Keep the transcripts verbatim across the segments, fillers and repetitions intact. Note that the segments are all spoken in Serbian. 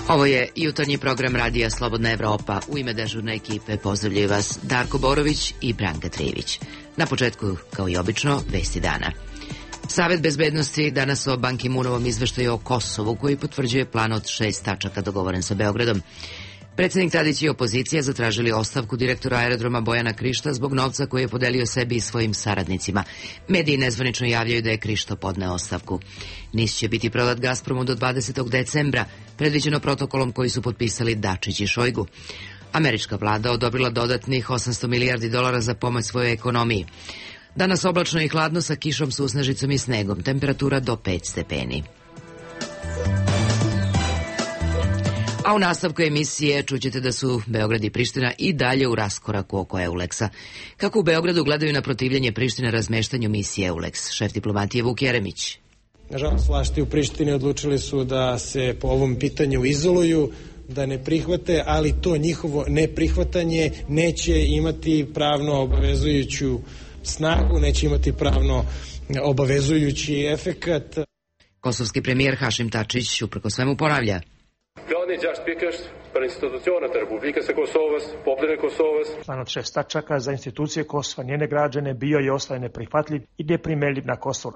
Ovo je jutarnji program Radija Slobodna Evropa. U ime dežurne ekipe pozdravljaju vas Darko Borović i Branka Trijević. Na početku, kao i obično, vesti dana. Savet bezbednosti danas o Ban Ki-moonovom izveštaju o Kosovu, koji potvrđuje plan od šest tačaka dogovoren sa Beogradom. Predsednik Tadić i opozicija zatražili ostavku direktora aerodroma Bojana Krišta zbog novca koji je podelio sebi i svojim saradnicima. Mediji nezvanično javljaju da je Krišto podneo ostavku. NIS će biti prodat Gazpromu do dvadesetog decembra, predviđeno protokolom koji su potpisali Dačić i Šojgu. Američka vlada odobrila dodatnih osamsto milijardi dolara za pomoć svojoj ekonomiji. Danas oblačno i hladno sa kišom, susnežicom i snegom, temperatura do pet stepeni. A u nastavku emisije čućete da su Beograd i Priština i dalje u raskoraku oko Euleksa. Kako u Beogradu gledaju na protivljenje Prištine razmeštanju misije Euleks? Šef diplomatije Vuk Jeremić. Nažalost, vlasti u Prištini odlučili su da se po ovom pitanju izoluju, da ne prihvate, ali to njihovo neprihvatanje neće imati pravno obavezujuću snagu, neće imati pravno obavezujući efekat. Kosovski premijer Hašim Tačić uprko svemu ponavlja. Plan od šest tačaka za institucije Kosova, njene građane, bio i ostaje neprihvatljiv i neprimeljiv na Kosovo.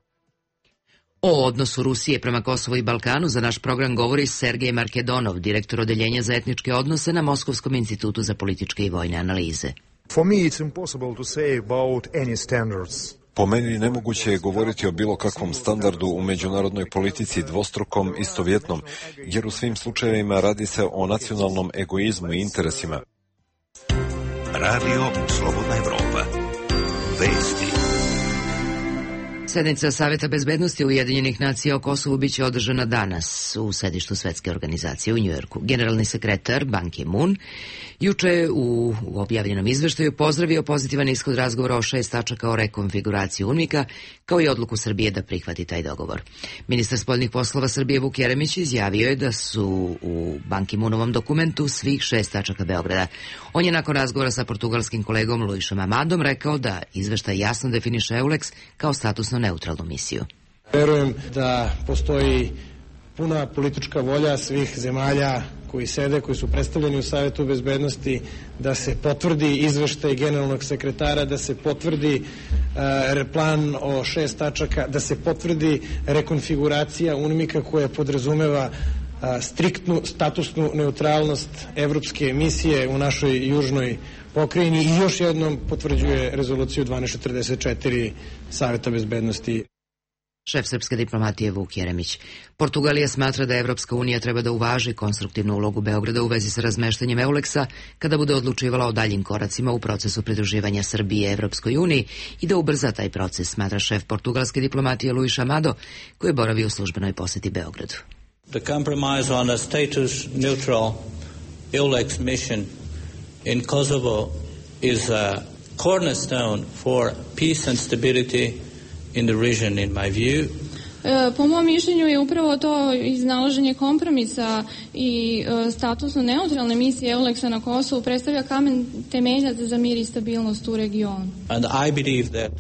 O odnosu Rusije prema Kosovu i Balkanu za naš program govori Sergej Markedonov, direktor odeljenja za etničke odnose na Moskovskom institutu za političke i vojne analize. For me it's impossible to say about any standards. Po meni nemoguće je govoriti o bilo kakvom standardu u međunarodnoj politici dvostrukom, istovjetnom, jer u svim slučajevima radi se o nacionalnom egoizmu i interesima. Radio Slobodna Evropa. Vesti. Sednica Saveta bezbednosti Ujedinjenih nacija o Kosovu biće održana danas u sedištu Svetske organizacije u Njujorku. Generalni sekretar Ban Ki-moon juče u, u objavljenom izveštaju pozdravio pozitivan ishod razgovora o šest tačaka o rekonfiguraciji UNMIK-a, kao i odluku Srbije da prihvati taj dogovor. Ministar spoljnih poslova Srbije Vuk Jeremić izjavio je da su u Ban Ki-moonovom dokumentu svih šest tačaka Beograda. On je nakon razgovora sa portugalskim kolegom Luisom Amadom rekao da izveštaj jasno definiše Euleks kao statusno neutralnu misiju. Verujem da postoji puna politička volja svih zemalja koji sede, koji su predstavljeni u Savetu bezbednosti, da se potvrdi izveštaj generalnog sekretara, da se potvrdi uh, plan o šest tačaka, da se potvrdi rekonfiguracija UNMIK-a koja podrazumeva uh, striktnu statusnu neutralnost evropske misije u našoj južnoj pokrajini i još jednom potvrđuje rezoluciju dvanaest četrdeset četiri Saveta bezbednosti. Šef srpske diplomatije Vuk Jeremić. Portugalija smatra da Evropska unija treba da uvaži konstruktivnu ulogu Beograda u vezi sa razmeštanjem Euleksa kada bude odlučivala o daljim koracima u procesu pridruživanja Srbije Evropskoj uniji i da ubrza taj proces, smatra šef portugalske diplomatije Luis Amado, koji boravi u službenoj poseti Beogradu. The compromise on a status neutral Eulex mission in Kosovo is a cornerstone for peace and stability in the region, in my view. Po mom mišljenju je upravo to iznalaženje kompromisa i statusno neutralne misije Euleksa na Kosovu predstavlja kamen temeljac za mir i stabilnost u regionu. And I believe that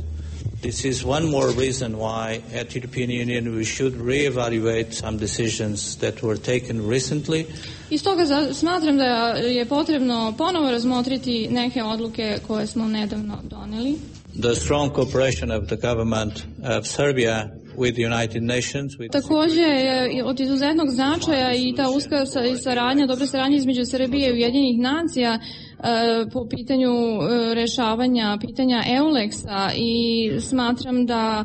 this is one more reason why at European Union we should reevaluate some decisions that were taken recently. I stoga smatram da je potrebno ponovo razmotriti neke odluke koje smo nedavno doneli. The strong cooperation of the government of Serbia with the United Nations. With Takođe je od izuzetnog značaja i ta uska saradnja, dobra saradnja između Srbije i Ujedinjenih nacija po pitanju rešavanja pitanja Euleksa i smatram da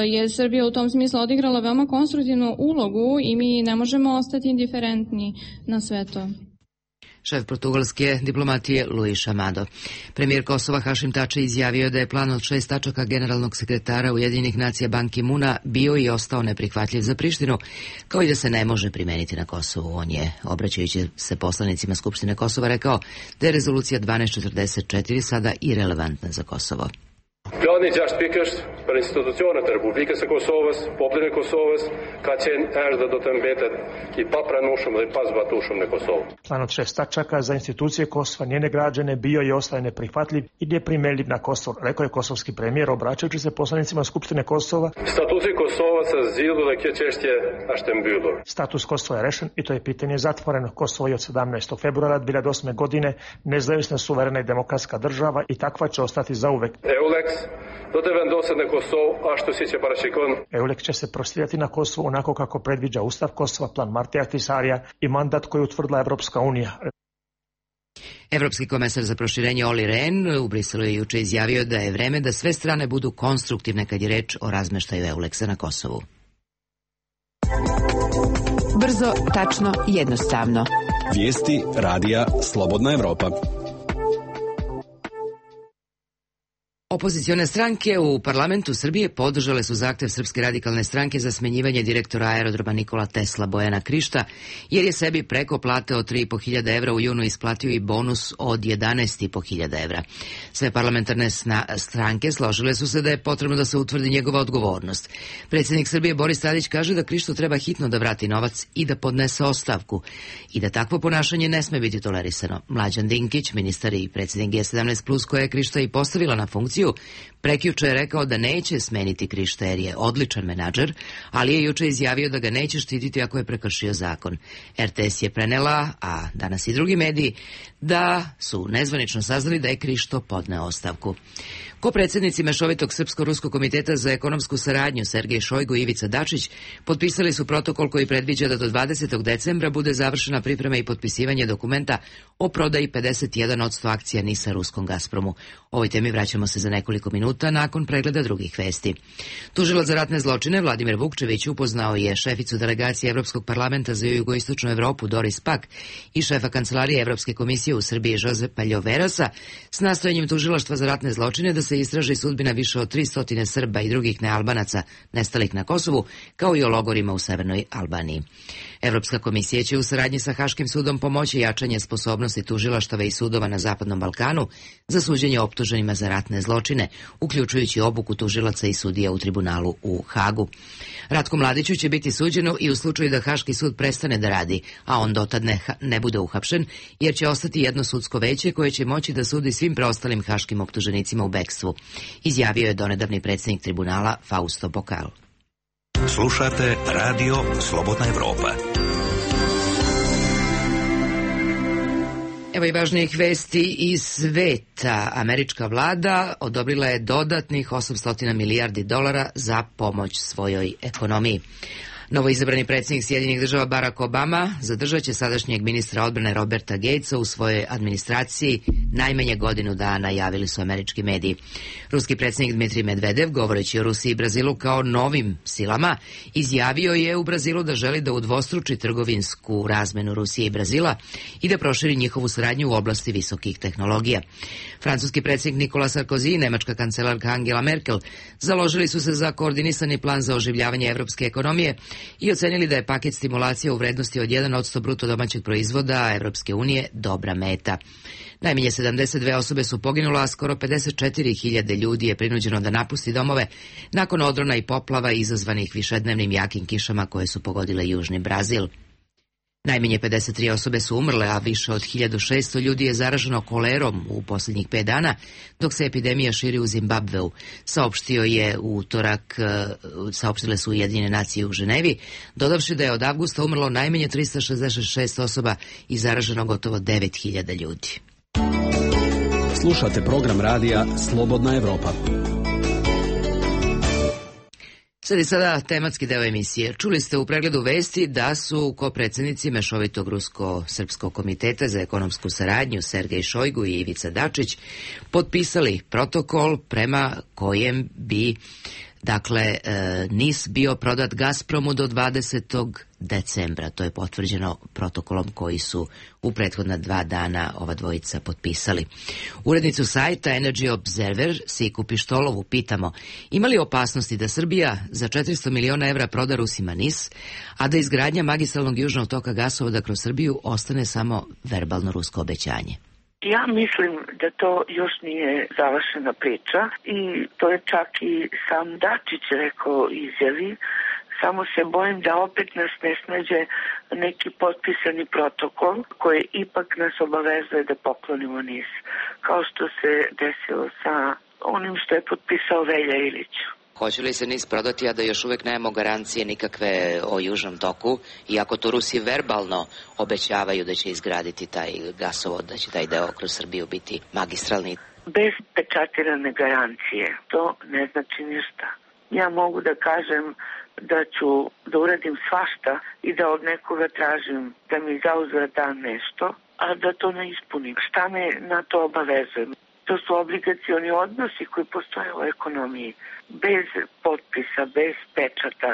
je Srbija u tom smislu odigrala veoma konstruktivnu ulogu i mi ne možemo ostati indiferentni na sve to. Šef portugalske diplomatije Luis Amado. Premijer Kosova Hašim Tači izjavio da je plan od šest tačaka generalnog sekretara Ujedinjenih nacija Ban Ki-moona bio i ostao neprihvatljiv za Prištinu, kao i da se ne može primeniti na Kosovu. On je, obraćajući se poslanicima Skupštine Kosova, rekao da je rezolucija dvanaest četrdeset četiri sada irelevantna za Kosovo. Plan Van niet juist pikers per institutionen ter Republiekse Kosovës, popullin e Kosovës ka qenë erdhë do të mbetet i papranueshëm dhe i pazbatueshëm në Kosovë. Plan od šest tačaka za institucije Kosova, njene građane bio je ostaje neprihvatljiv i neprimeljiv na Kosovo, rekao je kosovski premijer obraćajući se poslanicima Skupštine Kosova. Statusi Kosova se zgjidhur dhe kjo çështje është e mbyllur. Status Kosova je rešen i to je pitanje zatvoreno. Kosovo je od sedamnaestog februara dvije hiljade osme godine nezavisna, suverena i demokratska država i takva će ostati zauvek. EULEX do të vendoset në Kosovë ashtu siç e parashikon. EULEX će se prostirati na Kosovo onako kako predviđa Ustav Kosova, plan Martija Ahtisarija i mandat koji je utvrdila Evropska unija. Evropski komesar za proširenje Olli Rehn u Briselu je juče izjavio da je vreme da sve strane budu konstruktivne kad je reč o razmeštaju EULEX-a na Kosovu. Brzo, tačno, jednostavno. Vijesti radija Slobodna Evropa. Opozicione stranke u parlamentu Srbije podržale su zahtev Srpske radikalne stranke za smenjivanje direktora aerodroma Nikola Tesla Bojana Krišta, jer je sebi preko plate od tri i po hiljade evra u junu isplatio i bonus od jedanaest i po hiljada evra. Sve parlamentarne stranke složile su se da je potrebno da se utvrdi njegova odgovornost. Predsjednik Srbije Boris Tadić kaže da Krištu treba hitno da vrati novac i da podnese ostavku i da takvo ponašanje ne sme biti tolerisano. Mlađan Dinkić, ministar i predsjednik G sedamnaest plus, koja je Krišta i postavila na funkciju, prekjuče je rekao da neće smeniti Krišta jer je odličan menadžer, ali je juče izjavio da ga neće štititi ako je prekršio zakon. R T S je prenela, a danas i drugi mediji, da su nezvanično saznali da je Krišto podneo ostavku. Kopredsjednici Mešovitog Srpsko-Ruskog komiteta za ekonomsku saradnju Sergej Šojgu i Ivica Dačić potpisali su protokol koji predviđa da do dvadesetog decembra bude završena priprema i potpisivanje dokumenta o prodaji pedeset jedan posto akcija NIS-a ruskom Gazpromu. Ovoj temi vraćamo se za nekoliko minuta nakon pregleda drugih vesti. Tužilac za ratne zločine Vladimir Vukčević upoznao je šeficu delegacije Evropskog parlamenta za jugoistočnu Evropu Doris Pak i šefa kancelarije Evropske komisije u Srbiji Jozepa Ljoverasa s nastojanjem tužilaštva za ratne zločine da se istraži sudbina više od tristo Srba i drugih nealbanaca nestalih na Kosovu, kao i o logorima u severnoj Albaniji. Evropska komisija će u saradnji sa Haškim sudom pomoći jačanje sposobnosti tužilaštava i sudova na Zapadnom Balkanu za suđenje optuženima za ratne zločine, uključujući obuku tužilaca i sudija u tribunalu u Hagu. Ratku Mladiću će biti suđeno i u slučaju da Haški sud prestane da radi, a on dotad ne, ne bude uhapšen, jer će ostati jedno sudsko veće koje će moći da sudi svim preostalim haškim optuženicima u bekstvu, izjavio je donedavni predsjednik tribunala Fausto Bokal. Slušate radio Slobodna Evropa. Evo i važnijih vesti iz sveta. Američka vlada odobrila je dodatnih osamsto milijardi dolara za pomoć svojoj ekonomiji. Novoizabrani predsjednik Sjedinjenih država Barack Obama zadržat će sadašnjeg ministra odbrane Roberta Gatesa u svojoj administraciji najmanje godinu dana, javili su američki mediji. Ruski predsjednik Dmitrij Medvedev, govoreći o Rusiji i Brazilu kao novim silama, izjavio je u Brazilu da želi da udvostruči trgovinsku razmenu Rusije i Brazila i da proširi njihovu saradnju u oblasti visokih tehnologija. Francuski predsjednik Nicolas Sarkozy i nemačka kancelarka Angela Merkel založili su se za koordinisani plan za oživljavanje evropske ekonomije i ocenili da je paket stimulacije u vrednosti od jedan posto bruto domaćeg proizvoda Evropske unije dobra meta. Najmanje sedamdeset dve osobe su poginule, a skoro pedeset četiri hiljade ljudi je prinuđeno da napusti domove nakon odrona i poplava izazvanih višednevnim jakim kišama koje su pogodile južni Brazil. Najmanje pedeset tri osobe su umrle, a više od hiljadu šesto ljudi je zaraženo kolerom u posljednjih pet dana, dok se epidemija širi u Zimbabveu, saopštio je u utorak, saopštile su Ujedinjene nacije u Ženevi, dodavši da je od avgusta umrlo najmanje trista šezdeset šest osoba i zaraženo gotovo devet hiljada ljudi. Slušate program radija Slobodna Evropa. Sad i sada tematski deo emisije. Čuli ste u pregledu vesti da su kopredsjednici Mešovitog Rusko-Srpskog komiteta za ekonomsku saradnju Sergej Šojgu i Ivica Dačić potpisali protokol prema kojem bi Dakle, NIS bio prodat Gazpromu do dvadesetog decembra. To je potvrđeno protokolom koji su u prethodna dva dana ova dvojica potpisali. Urednicu sajta Energy Observer, Siku Pištolovu, pitamo ima li opasnosti da Srbija za četiristo miliona evra proda Rusima NIS, a da izgradnja magistralnog južnog toka gasovoda kroz Srbiju ostane samo verbalno rusko obećanje? Ja mislim da to još nije završena priča i to je čak i sam Dačić rekao izjavi. Samo se bojim da opet nas ne snađe neki potpisani protokol koji ipak nas obavezuje da poklonimo NIS, kao što se desilo sa onim što je potpisao Velja Ilić. Hoće li se NIS prodati, a da još uvek nemamo garancije nikakve o Južnom toku, iako to Rusi verbalno obećavaju da će izgraditi taj gasovod, da će taj deo kroz Srbiju biti magistralni? Bez pečatirane garancije to ne znači ništa. Ja mogu da kažem da ću da uradim svašta i da od nekoga tražim da mi zauzvrat da nešto, a da to ne ispunim. Šta me na to obavezuje? To su obligacioni odnosi koji postoje u ekonomiji. Bez potpisa, bez pečata,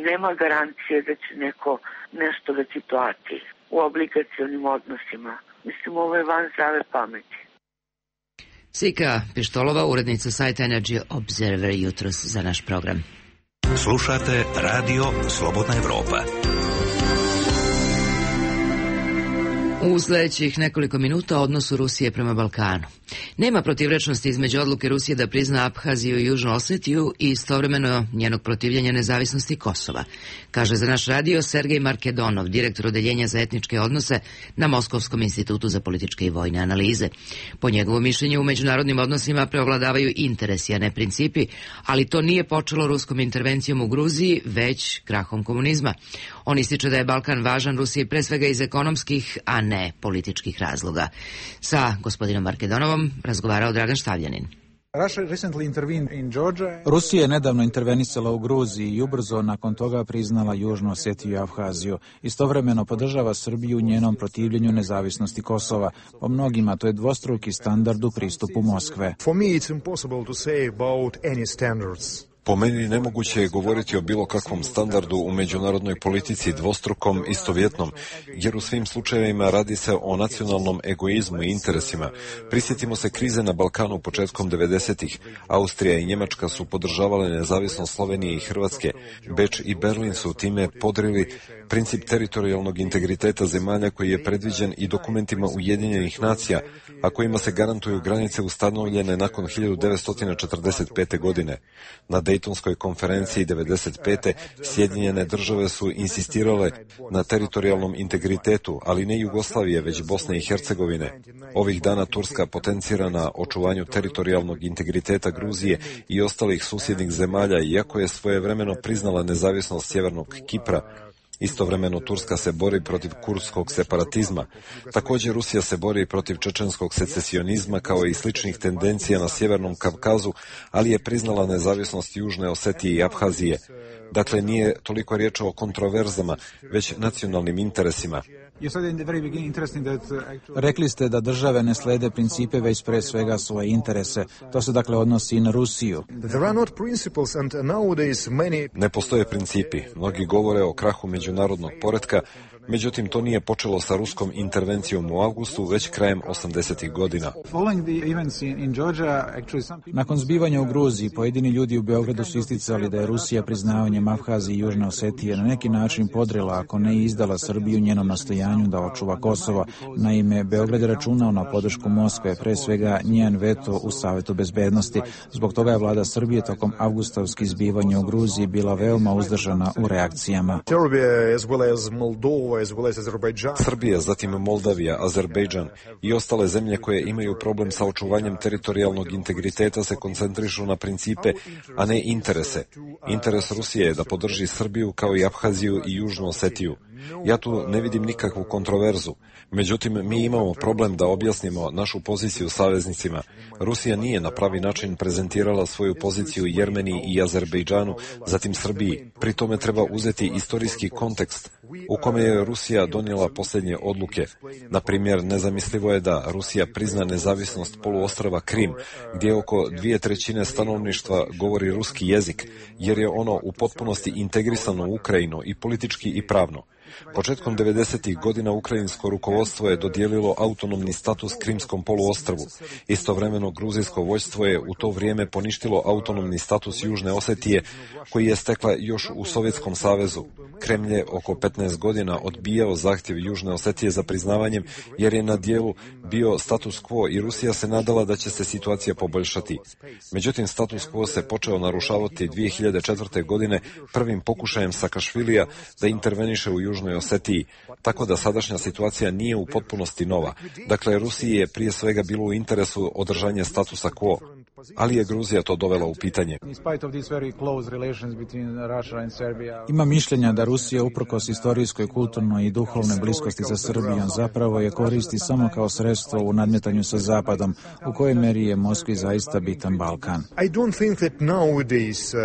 nema garancije da će neko nešto da ti plati u obligacionim odnosima. Mislim, ovo je van zdrave pameti. Sika Pištolova, urednica sajta Energy Observer, jutros za naš program. Slušate Radio Slobodna Evropa. U sledećih nekoliko minuta o odnosu Rusije prema Balkanu. Nema protivrečnosti između odluke Rusije da prizna Abhaziju i Južnu Osetiju i istovremeno njenog protivljenja nezavisnosti Kosova, kaže za naš radio Sergej Markedonov, direktor odeljenja za etničke odnose na Moskovskom institutu za političke i vojne analize. Po njegovom mišljenju u međunarodnim odnosima preovladavaju interesi, a ne principi, ali to nije počelo ruskom intervencijom u Gruziji, već krahom komunizma. On ističe da je Balkan važan Rusiji pre svega iz ekonomskih, a ne političkih razloga. Sa gospodinom Markedonovom razgovarao Dragan Štavljanin. Rusija je nedavno intervenisala u Gruziji i ubrzo nakon toga priznala Južnu Osetiju i Abhaziju. Istovremeno podržava Srbiju u njenom protivljenju nezavisnosti Kosova. Po mnogima to je dvostruki standard u pristupu Moskve. Po meni nemoguće je govoriti o bilo kakvom standardu u međunarodnoj politici dvostrukom, istovjetnom, jer u svim slučajevima radi se o nacionalnom egoizmu i interesima. Prisjetimo se krize na Balkanu početkom devedesetih. Austrija i Njemačka su podržavale nezavisnost Slovenije i Hrvatske. Beč i Berlin su time podrili princip teritorijalnog integriteta zemalja koji je predviđen i dokumentima Ujedinjenih nacija, a kojima se garantuju granice ustanovljene nakon hiljadu devetsto četrdeset pete. godine. Na Dejtonskoj konferenciji devedeset pete. Sjedinjene države su insistirale na teritorijalnom integritetu, ali ne Jugoslavije, već Bosne i Hercegovine. Ovih dana Turska potencira na očuvanju teritorijalnog integriteta Gruzije i ostalih susjednih zemalja, iako je svojevremeno priznala nezavisnost Sjevernog Kipra. Istovremeno Turska se bori protiv kurdskog separatizma. Također Rusija se bori protiv čečenskog secesionizma kao i sličnih tendencija na Sjevernom Kavkazu, ali je priznala nezavisnost Južne Osetije i Abhazije. Dakle, nije toliko riječ o kontroverzama, već nacionalnim interesima. Rekli ste da države ne slede principe, već pre svega svoje interese. To se dakle odnosi i na Rusiju. Ne postoje principi. Mnogi govore o krahu međunarodnog poretka, međutim to nije počelo sa ruskom intervencijom u avgustu, već krajem osamdesetih godina. Nakon zbivanja u Gruziji, pojedini ljudi u Beogradu su isticali da je Rusija priznavanjem Abhazije i Južne Osetije na neki način podrila, ako ne i izdala Srbiju njenom nastojanju da očuva Kosovo. Naime, Beograd je računao na podršku Moskve, pre svega njen veto u Savetu bezbednosti. Zbog toga je vlada Srbije tokom avgustavskih zbivanja u Gruziji bila veoma uzdržana u reakcijama. Srbija, zatim Moldavija, Azerbejdžan i ostale zemlje koje imaju problem sa očuvanjem teritorijalnog integriteta se koncentrišu na principe, a ne interese. Interes Rusije je da podrži Srbiju kao i Abhaziju i Južnu Osetiju. Ja tu ne vidim nikakvu kontroverzu. Međutim, mi imamo problem da objasnimo našu poziciju saveznicima. Rusija nije na pravi način prezentirala svoju poziciju Jermeniji i Azerbejdžanu, zatim Srbiji. Pri tome treba uzeti istorijski kontekst u kome je Rusija donijela posljednje odluke. Na primjer, nezamislivo je da Rusija prizna nezavisnost poluostrva Krim, gdje oko dvije trećine stanovništva govori ruski jezik, jer je ono u potpunosti integrisano u Ukrajinu i politički i pravno. Početkom devedesetih godina ukrajinsko rukovodstvo je dodijelilo autonomni status Krimskom poluostrvu. Istovremeno gruzijsko vojstvo je u to vrijeme poništilo autonomni status Južne Osetije, koji je stekla još u Sovjetskom savezu. Kremlj je oko petnaest godina odbijao zahtjev Južne Osetije za priznavanjem, jer je na dijelu bio status quo i Rusija se nadala da će se situacija poboljšati. Međutim, status quo se počeo narušavati dvije hiljade četvrte. godine prvim pokušajem Sakašvilija da interveniše u Južnoj Osetiji, tako da sadašnja situacija nije u potpunosti nova. Dakle, Rusiji je prije svega bilo u interesu održanje statusa quo, ali je Gruzija to dovela u pitanje. Ima mišljenja da Rusija, uprkos istorijskoj, kulturnoj i duhovnoj bliskosti za Srbijom, zapravo je koristi samo kao sredstvo u nadmetanju sa Zapadom, u kojoj meri je Moskvi zaista bitan Balkan. I don't think that nowadays uh,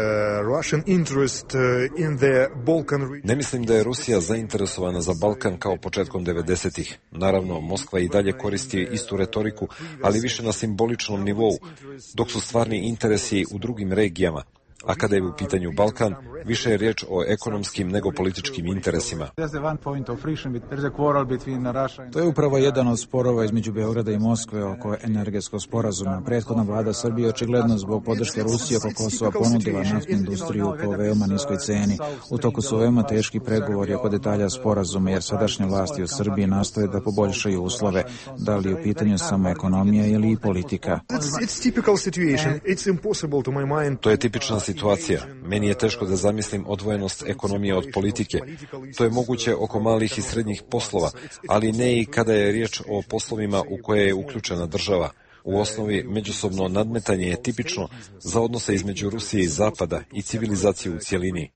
Russian interest uh, in the Balkan... Ne mislim da je Rusija zainteresovana za Balkan kao početkom devedesetih. Naravno, Moskva i dalje koristi istu retoriku, ali više na simboličnom nivou, dok su stvarni interesi u drugim regijama. A kada je u pitanju Balkan, više je riječ o ekonomskim nego političkim interesima. To je upravo jedan od sporova između Beograda i Moskve oko energetskog sporazuma. Prethodna vlada Srbije očigledno zbog podrške Rusije oko Kosova ponudila naftnu industriju po veoma niskoj ceni. U toku su veoma teški pregovori oko detalja sporazuma, jer sadašnje vlasti u Srbiji nastoje da poboljšaju uslove, da li u pitanju samo ekonomija ili i politika. To je tipična situacija. Meni je teško da zamislim odvojenost ekonomije od politike. To je moguće oko malih i srednjih poslova, ali ne i kada je riječ o poslovima u koje je uključena država. U osnovi, međusobno nadmetanje je tipično za odnose između Rusije i Zapada i civilizaciju u cijelini.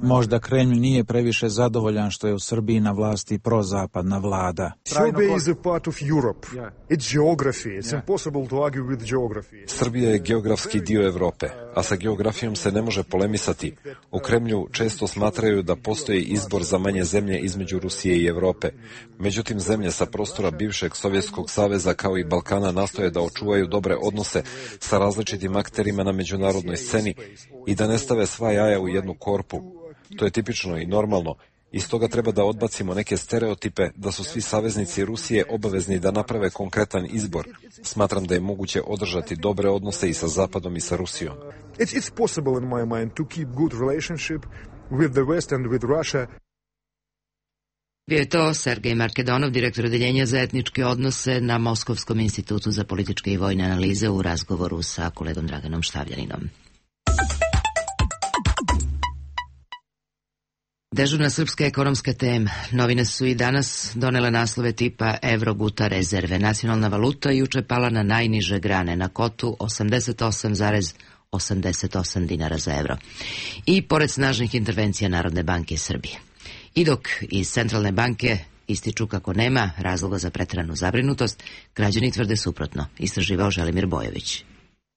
Možda Kremlj nije previše zadovoljan što je u Srbiji na vlasti prozapadna vlada. Serbia is a part of Europe. It's geography. It's impossible to argue with geography. Srbija je geografski dio Europe, a sa geografijom se ne može polemisati. U Kremlju često smatraju da postoji izbor za manje zemlje između Rusije i Europe. Međutim, zemlje sa prostora bivšeg Sovjetskog saveza kao i Balkana nastoje da očuvaju dobre odnose sa različitim akterima na međunarodnoj sceni i da ne stave sva jaja u jednu korpu. To je tipično i normalno. I stoga treba da odbacimo neke stereotipe da su svi saveznici Rusije obavezni da naprave konkretan izbor. Smatram da je moguće održati dobre odnose i sa Zapadom i sa Rusijom. It's, it's possible in my mind to keep good relationship with the West and with Russia. Bio je to Sergej Markedonov, direktor odeljenja za etničke odnose na Moskovskom institutu za političke i vojne analize u razgovoru sa kolegom Draganom Štavljaninom. Dežurna srpska ekonomska tema. Novine su i danas donele naslove tipa evro guta rezerve. Nacionalna valuta juče pala na najniže grane, na kotu osamdeset osam zarez osamdeset osam dinara za evro. I pored snažnih intervencija Narodne banke Srbije. I dok iz Centralne banke ističu kako nema razloga za preteranu zabrinutost, građani tvrde suprotno, istraživao Želimir Bojović.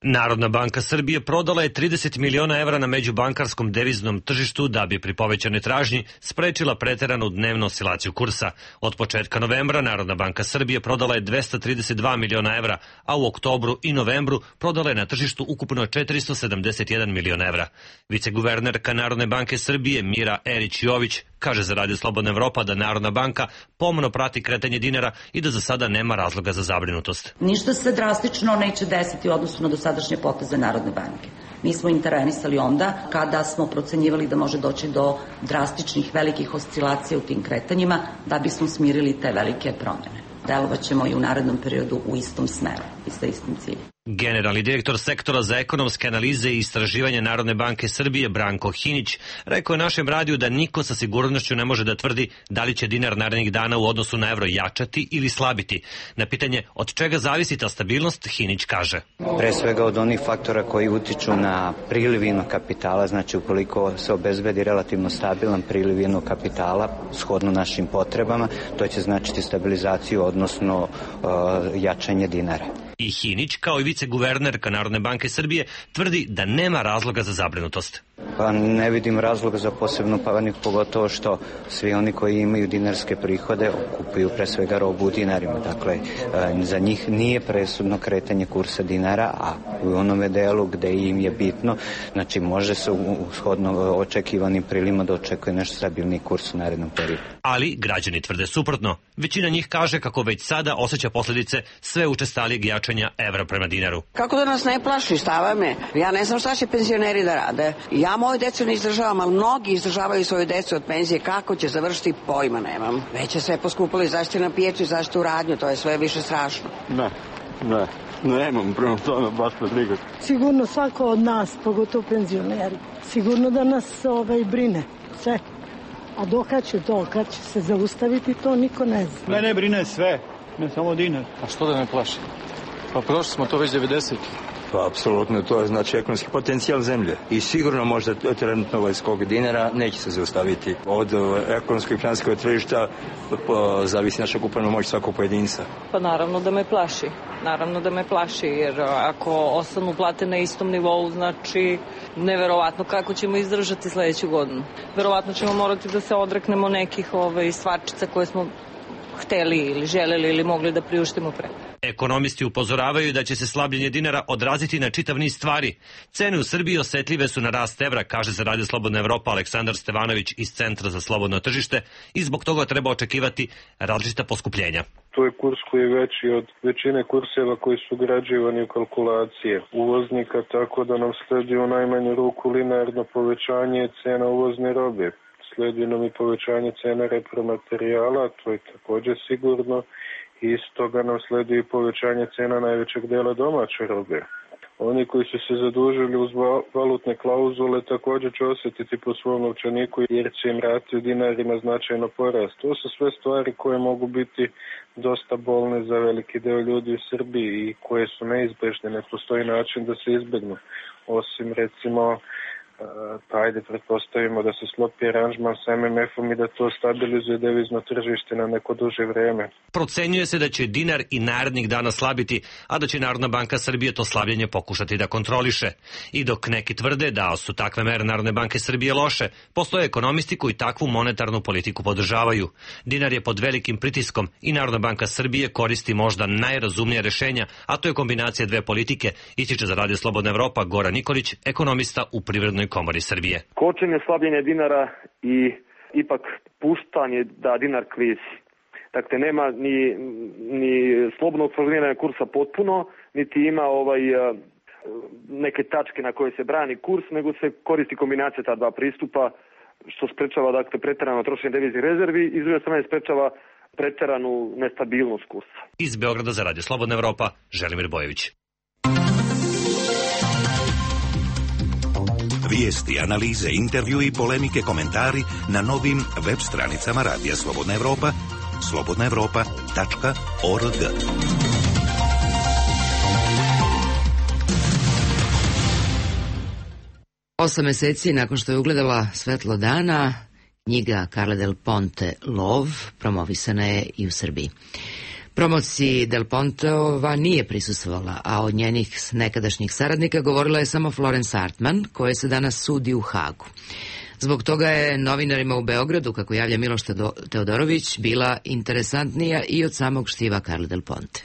Narodna banka Srbije prodala je trideset miliona evra na međubankarskom deviznom tržištu da bi pri povećanoj tražnji sprečila preteranu dnevnu oscilaciju kursa. Od početka novembra Narodna banka Srbije prodala je dvesta trideset dva miliona evra, a u oktobru i novembru prodala je na tržištu ukupno četiristo sedamdeset jedan miliona evra. Viceguvernerka Narodne banke Srbije Mira Erić-Jović kaže za Radio Slobodna Evropa da Narodna banka pomno prati kretanje dinara i da za sada nema razloga za zabrinutost. Ništa se drastično neće desiti u odnosu na dosadašnje poteze Narodne banke. Mi smo intervenisali onda kada smo procenjivali da može doći do drastičnih velikih oscilacija u tim kretanjima da bismo smirili te velike promjene. Delovaćemo i u narednom periodu u istom smeru i sa istim ciljem. Generalni direktor sektora za ekonomske analize i istraživanja Narodne banke Srbije Branko Hinić rekao je našem radiju da niko sa sigurnošću ne može da tvrdi da li će dinar narednih dana u odnosu na evro jačati ili slabiti. Na pitanje od čega zavisi ta stabilnost, Hinić kaže: Pre svega od onih faktora koji utiču na priliv inog kapitala, znači ukoliko se obezbedi relativno stabilan priliv inog kapitala shodno našim potrebama, to će značiti stabilizaciju, odnosno uh, jačanje dinara. I Hinić, kao i viceguvernerka Narodne banke Srbije, tvrdi da nema razloga za zabrinutost. Pa ne vidim razloga za posebnu paniku, pogotovo što svi oni koji imaju dinarske prihode kupuju pre svega robu u dinarima. Dakle, za njih nije presudno kretanje kursa dinara, a u onome delu gde im je bitno, znači može se u shodno očekivanim prilima da očekuje nešto stabilni kurs u narednom periodu. Ali građani tvrde suprotno. Većina njih kaže kako već sada osjeća posljedice sve učestalijeg jačanja evra prema dinaru. Kako da nas ne plaši, stava me. Ja ne znam šta će penzioneri da rade. Ja moju decu ne izdržavam, ali mnogi izdržavaju svoju decu od penzije. Kako će završiti, pojma nemam. Već je sve poskupilo i zašto na pijeću i zašto u radnju, to je sve više strašno. Ne, ne, nemam prema tome baš me briga. Sigurno svako od nas, pogotovo penzioneri, sigurno da nas ovaj, brine sve. A dokad će to, kad će se zaustaviti, to niko ne zna. Mene brine sve, ne samo dinar. A što da me plaši? Pa prošli smo to već devedeset. Pa apsolutno, to je znači ekonomski potencijal zemlje. I sigurno možda trenutno ovaj skok dinara neće se zaustaviti. Od ekonomskog i financijskog tržišta zavisi naša kupovna moć svakog pojedinca. Pa naravno da me plaši. Naravno da me plaši, jer ako ostanu plate na istom nivou, znači neverovatno kako ćemo izdržati sledeću godinu. Verovatno ćemo morati da se odreknemo nekih ovaj, stvarčica koje smo hteli ili želeli ili mogli da priuštimo pre. Ekonomisti upozoravaju da će se slabljenje dinara odraziti na čitav niz stvari. Cene u Srbiji osetljive su na rast evra, kaže za Radio Slobodna Evropa Aleksandar Stevanović iz Centra za slobodno tržište, i zbog toga treba očekivati različita poskupljenja. To je kurs koji je veći od većine kurseva koji su ugrađivani u kalkulacije uvoznika, tako da nam sledi u najmanju ruku linearno povećanje cena uvozne robe. Sledi nam i povećanje cena repromaterijala, to je također sigurno. I iz toga nam sledi i povećanje cena najvećeg dela domaće robe. Oni koji su se zadužili uz valutne klauzule također će osjetiti po svom novčaniku jer će im rati u dinarima značajno porast. To su sve stvari koje mogu biti dosta bolne za veliki deo ljudi u Srbiji i koje su neizbežne. Ne postoji način da se izbegnu. Osim recimo, ajde pretpostavimo da se sklopi aranžman sa em em efom i da to stabilizuje devizno tržište na neko duže vreme. Procenjuje se da će dinar i narednih dana slabiti, a da će Narodna banka Srbije to slabljenje pokušati da kontroliše. I dok neki tvrde da su takve mere Narodne banke Srbije loše, postoje ekonomisti koji takvu monetarnu politiku podržavaju. Dinar je pod velikim pritiskom i Narodna banka Srbije koristi možda najrazumnije rešenja, a to je kombinacija dve politike, ističe za Radio Slobodna Evropa Goran Nikolić, ekonomista u Privrednoj komori Srbije. Kočenje slabljenja dinara i ipak puštanje da dinar klizi. Dakle, nema ni, ni slobodnog formiranja kursa potpuno, niti ima ovaj neke tačke na koje se brani kurs, nego se koristi kombinacija ta dva pristupa, što sprečava dakle preterano trošenje deviznih rezervi i s druge strane sprečava preteranu nestabilnost kursa. Iz Beograda za Radio Slobodna Evropa, Želimir Bojević. Vijesti, analize, intervju i polemike, komentari na novim web stranicama Radija Slobodna Evropa, slobodna evropa tačka org. Osam meseci nakon što je ugledala svetlo dana, knjiga Carla Del Ponte Lov promovisana je i u Srbiji. Promociji Del Ponteova nije prisustvovala, a od njenih nekadašnjih saradnika govorila je samo Florence Artman, koja se danas sudi u Hagu. Zbog toga je novinarima u Beogradu, kako javlja Miloš Teodorović, bila interesantnija i od samog štiva Carla Del Ponte.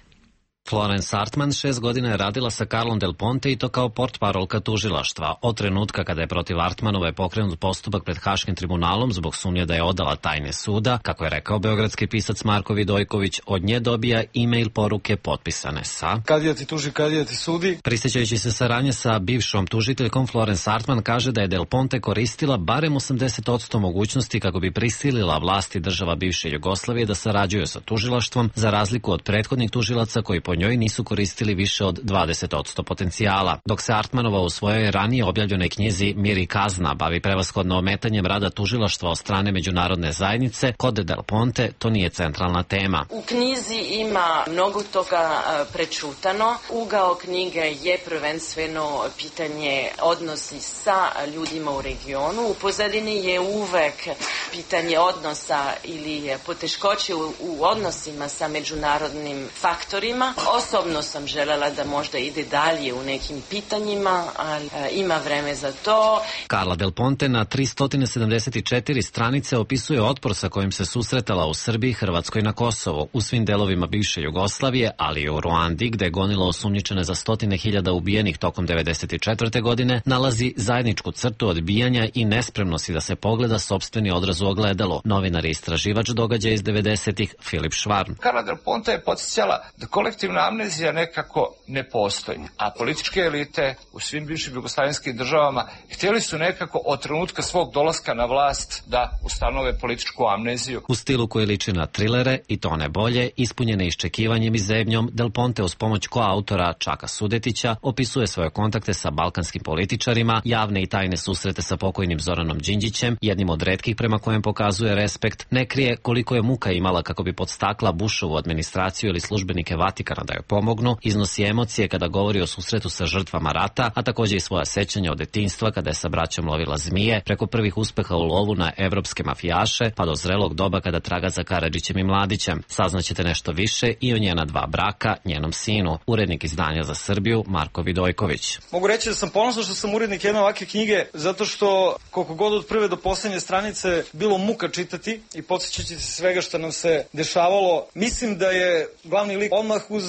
Florence Artman šest godina je radila sa Carlom Del Ponte i to kao portparolka tužilaštva. Od trenutka kada je protiv Artmanove pokrenut postupak pred Haškim tribunalom zbog sumnje da je odala tajne suda, kako je rekao beogradski pisac Marko Vidojković, od nje dobija e-mail poruke potpisane sa Kadija ti tuži, kadija ti sudi. Prisjećajući se saradnje sa bivšom tužiteljkom, Florence Artman kaže da je Del Ponte koristila barem osamdeset posto mogućnosti kako bi prisilila vlasti država bivše Jugoslavije da sarađuju sa tužilaštvom, za razliku od prethodnih tužilaca koji po njoj nisu koristili više od dvadeset posto potencijala. Dok se Artmanova u svojoj ranije objavljenoj knjizi Mir i kazna bavi prevashodno ometanjem rada tužilaštva od strane međunarodne zajednice, kod Del Ponte to nije centralna tema. U knjizi ima mnogo toga prečutano. Ugao knjige je prvenstveno pitanje odnosi sa ljudima u regionu. U pozadini je uvek pitanje odnosa ili poteškoće u, u odnosima sa međunarodnim faktorima. Osobno sam želela da možda ide dalje u nekim pitanjima, ali e, ima vreme za to. Carla Del Ponte na tristo sedamdeset četiri stranice opisuje otpor sa kojim se susretala u Srbiji, Hrvatskoj i na Kosovo, u svim delovima bivše Jugoslavije, ali i u Ruandi, gde je gonilo osumnjičene za stotine hiljada ubijenih tokom devedeset četvrte. godine, nalazi zajedničku crtu odbijanja i nespremnosti da se pogleda sopstveni odraz u ogledalo. Novinar i istraživač događaja iz devedesetih Filip Švarm. Carla Del Ponte je podsjećala da kolektivna amnezija nekako ne postoji, a političke elite u svim bivšim jugoslavenskim državama htjeli su nekako od trenutka svog dolaska na vlast da ustanove političku amneziju. U stilu koji liči na trilere, i to ne bolje, ispunjene iščekivanjem i zebnjom, Del Ponte uz pomoć koautora Čaka Sudetića opisuje svoje kontakte sa balkanskim političarima, javne i tajne susrete sa pokojnim Zoranom Đinđićem, jednim od retkih prema kojem pokazuje respekt, ne krije koliko je muka imala kako bi podstakla Bushovu administraciju ili službenike Vatikana da joj pomognu, iznosi emocije kada govori o susretu sa žrtvama rata, a također i svoja sećanja od detinjstva kada je sa braćom lovila zmije, preko prvih uspeha u lovu na evropske mafijaše, pa do zrelog doba kada traga za Karadžićem i Mladićem. Saznaćete nešto više i o njena dva braka, njenom sinu. Urednik izdanja za Srbiju Marko Vidojković. Mogu reći da sam ponosan što sam urednik jedne ovakve knjige, zato što koliko god od prve do posljednje stranice bilo muka čitati i podsjećati se svega što nam se dešavalo. Mislim da je glavni lik odmah uz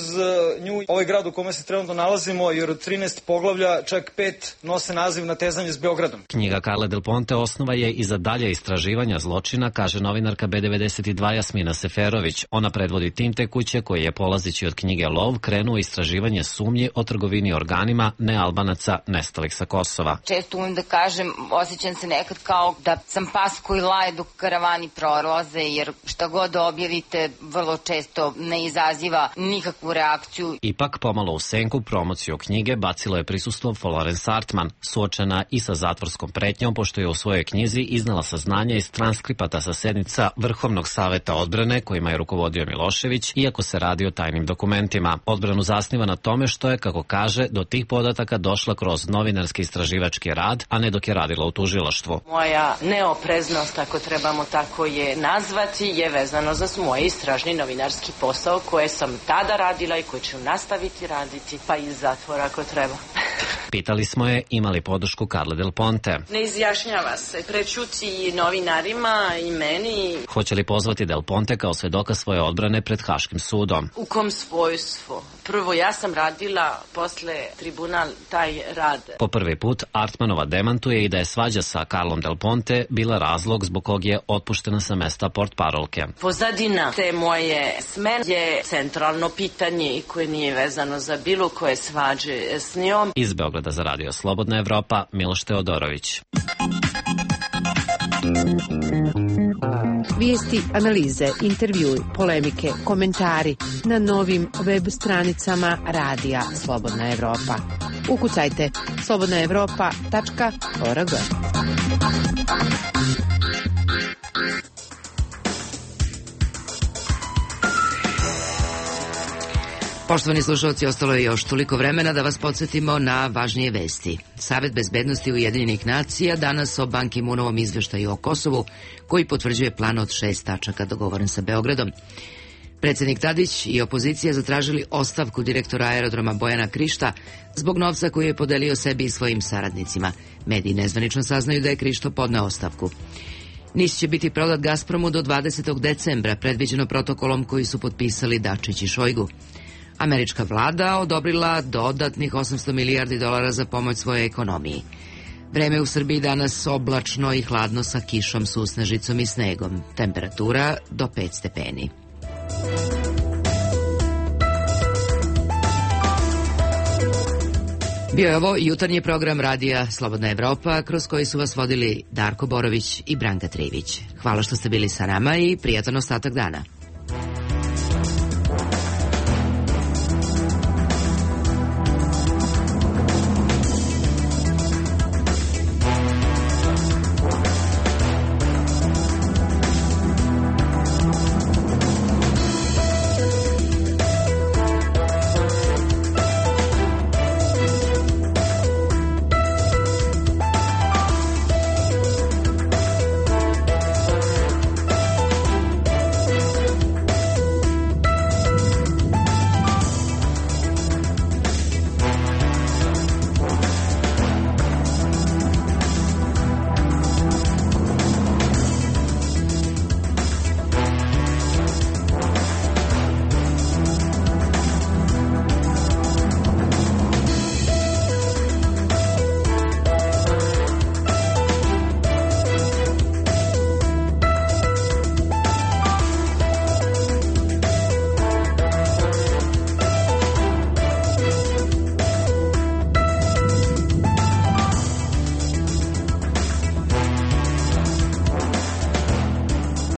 nju ovaj grad u kome se trenutno nalazimo, jer od trinaest poglavlja čak pet nose naziv Natezanje s Beogradom. Knjiga Carle Del Ponte osnova je i za dalje istraživanja zločina, kaže novinarka B devedeset dva Jasmina Seferović. Ona predvodi tim te kuće koji je, polazeći od knjige Lov, krenuo istraživanje sumnji o trgovini organima nealbanaca nestalih sa Kosova. Često umem da kažem, osjećam se nekad kao da sam pas koji laje dok karavani prolaze, jer šta god objavite vrlo često ne izaziva nikakvu reakciju. Ipak, pomalo u senku promociju knjige bacilo je prisustvo Florence Hartman, suočena i sa zatvorskom pretnjom, pošto je u svojoj knjizi iznala saznanja iz transkripata sa sednica Vrhovnog saveta odbrane kojima je rukovodio Milošević, iako se radi o tajnim dokumentima. Odbranu zasniva na tome što je, kako kaže, do tih podataka došla kroz novinarski istraživački rad, a ne dok je radila u tužilaštvu. Moja neopreznost, ako trebamo tako je nazvati, je vezano za moj istražni novinarski posao koje sam tada radila i koje ću nastaviti raditi, pa iz zatvora ako treba. Pitali smo je ima li podršku Carle Del Ponte. Ne izjašnjava se, prećuti novinarima i meni. Hoće li pozvati Del Ponte kao svedoka svoje odbrane pred Haškim sudom? U kom svojstvu? Prvo, ja sam radila posle tribunal taj rad. Po prvi put Artmanova demantuje i da je svađa sa Carlom Del Ponte bila razlog zbog kog je otpuštena sa mesta portparolke. Pozadina te moje smene je centralno pitanje i koje nije vezano za bilo koje svađe s njom. Iz Beograda za Radio Slobodna Evropa, Miloš Teodorović. Vijesti, analize, intervjui, polemike, komentari na novim web stranicama Radija Slobodna Evropa. Ukucajte slobodna evropa tačka org. Poštovani slušalci, ostalo je još toliko vremena da vas podsjetimo na važnije vesti. Savet bezbednosti Ujedinjenih nacija danas o Ban Ki-moonovom izveštaju o Kosovu, koji potvrđuje plan od šest tačaka dogovoren sa Beogradom. Predsjednik Tadić i opozicija zatražili ostavku direktora aerodroma Bojana Krišta zbog novca koji je podelio sebi i svojim saradnicima. Mediji nezvanično saznaju da je Krišto podneo ostavku. NIS će biti prodat Gazpromu do dvadesetog decembra, predviđeno protokolom koji su potpisali Dačić i Šojgu. Američka vlada odobrila dodatnih osamsto milijardi dolara za pomoć svojoj ekonomiji. Vreme u Srbiji danas oblačno i hladno sa kišom, susnežicom i snegom. Temperatura do pet stepeni. Bio je ovo jutarnji program Radija Slobodna Evropa, kroz koji su vas vodili Darko Borović i Branka Trivić. Hvala što ste bili sa nama i prijatan ostatak dana.